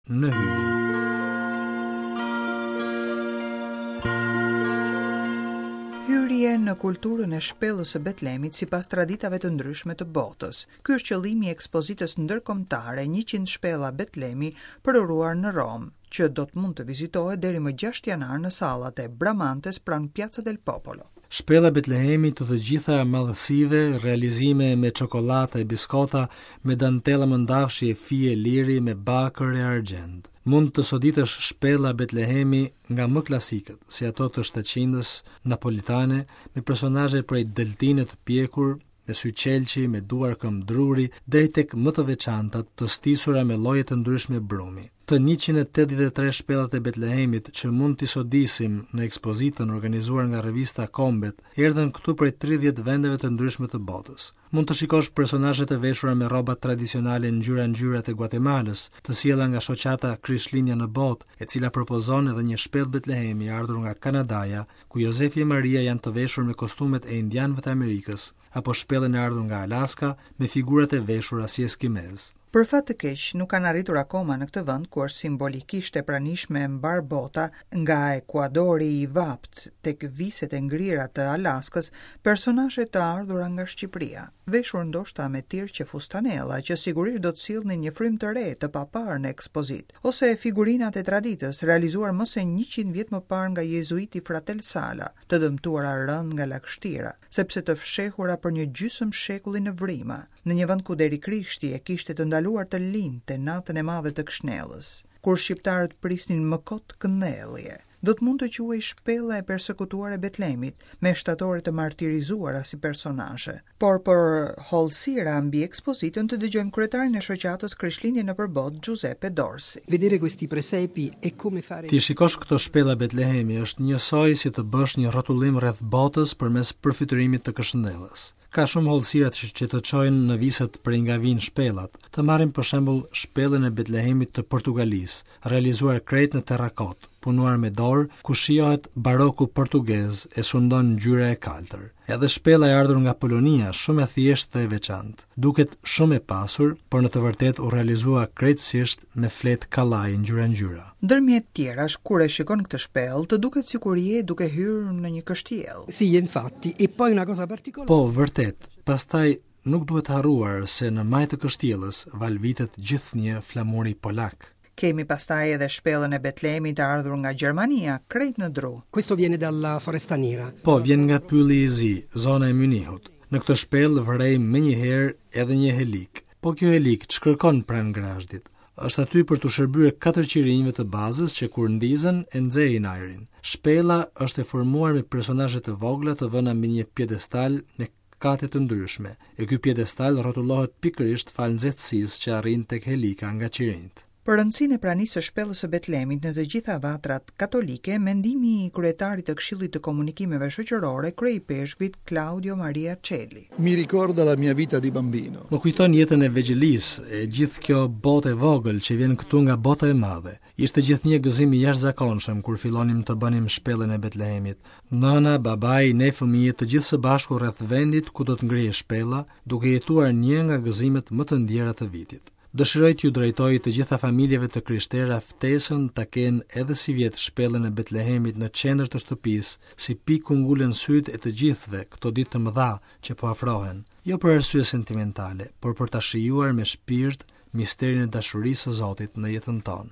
në Hyjin. Hyrje në kulturën e shpellës së Betlemit sipas traditave të ndryshme të botës. Ky është qëllimi i ekspozitës ndërkombëtare 100 shpella Betlemi përuruar në Romë, që do të mund të vizitohet deri më 6 janar në sallat e Bramantes pranë Piazza del Popolo. Shpella Betlehemi të të gjitha madhësive, realizime me çokollatë e biskota, me dantella mëndafshi e fije liri, me bakër e argjend. Mund të soditësh shpella Betlehemi nga më klasikët, si ato të shtatqindës napolitane, me personazhe prej deltine të pjekur, me sy qelqi, me duar këmbë druri, deri tek më të veçantat, të stisura me lloje të ndryshme brumi. Të 183 shpellat e Betlehemit që mund t'i sodisim në ekspozitën organizuar nga revista Kombet, erdhën këtu prej 30 vendeve të ndryshme të botës. Mund të shikosh personazhe të veshura me rroba tradicionale ngjyra ngjyra të Guatemalës, të sjella nga shoqata Krishtlindja në botë, e cila propozon edhe një shpellë Betlehemi ardhur nga Kanadaja, ku Jozefi e Maria janë të veshur me kostumet e indianëve të Amerikës, apo shpellën e ardhur nga Alaska me figurat e veshura si eskimezë. Për fat të keq, nuk kanë arritur akoma në këtë vend ku është simbolikisht e pranishme mbarë bota, nga Ekuadori i vaptë tek viset e ngrira të Alaskës, personazhe të ardhura nga Shqipëria, veshur ndoshta me tirqe fustanella që sigurisht do të sillnin një frymë të re të paparë në ekspozitë, ose figurinat e traditës, realizuar më se 100 vjet më parë nga jezuiti Fratel Sala, të dëmtuara rëndë nga lagështira, sepse të fshehura për një gjysmë shekulli në vrima, në një vend ku deri Krishti e kishte të ndaluar të lindte natën e madhe të Këshnellës, kur shqiptarët prisnin më kot këndellje. Do të mund të quhej shpella e persekutuar e Betlemit, me shtatore të martirizuara si personazhe. Por për hollësira mbi ekspozitën të dëgjojmë kryetarin e shoqatës Krishtlindje nëpër botë, Giuseppe Dorsi. Vedere questi presepi è come fare T'i shikosh këto shpella Betlehemi është njësoj si të bësh një rrotullim rreth botës përmes përfytyrimit të këshndellës. Ka shumë hollësira që, që të çojnë në viset prej nga vijnë shpellat. Të marrim për shembull shpellën e Betlehemit të Portugalisë, realizuar krejt në terrakot, punuar me dorë, ku shijohet baroku portugez e sundon ngjyra e kaltër. Edhe shpella e ardhur nga Polonia, shumë e thjeshtë dhe e veçantë. Duket shumë e pasur, por në të vërtetë u realizua krejtësisht me fletë kallaj ngjyra ngjyra. Ndërmjet tjerash, kur e shikon këtë shpellë, të duket sikur je duke hyrë në një kështjellë. Sì, infatti, e poi una cosa particolare. Po, vërtet. Pastaj nuk duhet harruar se në majë të kështjellës valvitet gjithnjë flamuri polak. Kemi pastaj edhe shpellën e Betlemit të ardhur nga Gjermania, krejt në dru. Questo viene dalla Foresta Nera. Po, vjen nga pylli i zi, zona e Mynihut. Në këtë shpellë vërejmë menjëherë edhe një helik. Po kjo helik ç'kërkon pranë grazhdit? Është aty për t'u shërbyer katër qirinjve të bazës që kur ndizen e nxehin ajrin. Shpella është e formuar me personazhe të vogla të vëna mbi një piedestal me kate të ndryshme, e ky piedestal rrotullohet pikërisht falë nxehtësisë që arrin tek helika nga qirinjt. Për rëndësinë e pranisë së shpellës së Betlemit në të gjitha vatrat katolike, mendimi i kryetarit të Këshillit të Komunikimeve Shoqërore, kryeipeshkvit Claudio Maria Celli. Mi ricorda la mia vita di bambino. Më kujton jetën e vegjëlisë, e gjithë kjo botë e vogël që vjen këtu nga bota e madhe. Ishte gjithnjë gëzim i jashtëzakonshëm kur fillonim të bënim shpellën e Betlehemit. Nëna, babai, ne fëmijët të gjithë së bashku rreth vendit ku do të ngrihej shpella, duke jetuar një nga gëzimet më të ndjera të vitit. Dëshiroj t'ju drejtoj të gjitha familjeve të krishtera ftesën ta kenë edhe sivjet shpellën e Betlehemit në qendër të shtëpisë, si pikë ku ngulen sytë e të gjithëve këto ditë të mëdha që po afrohen, jo për arsye sentimentale, por për ta shijuar me shpirt misterin e dashurisë së Zotit në jetën tonë.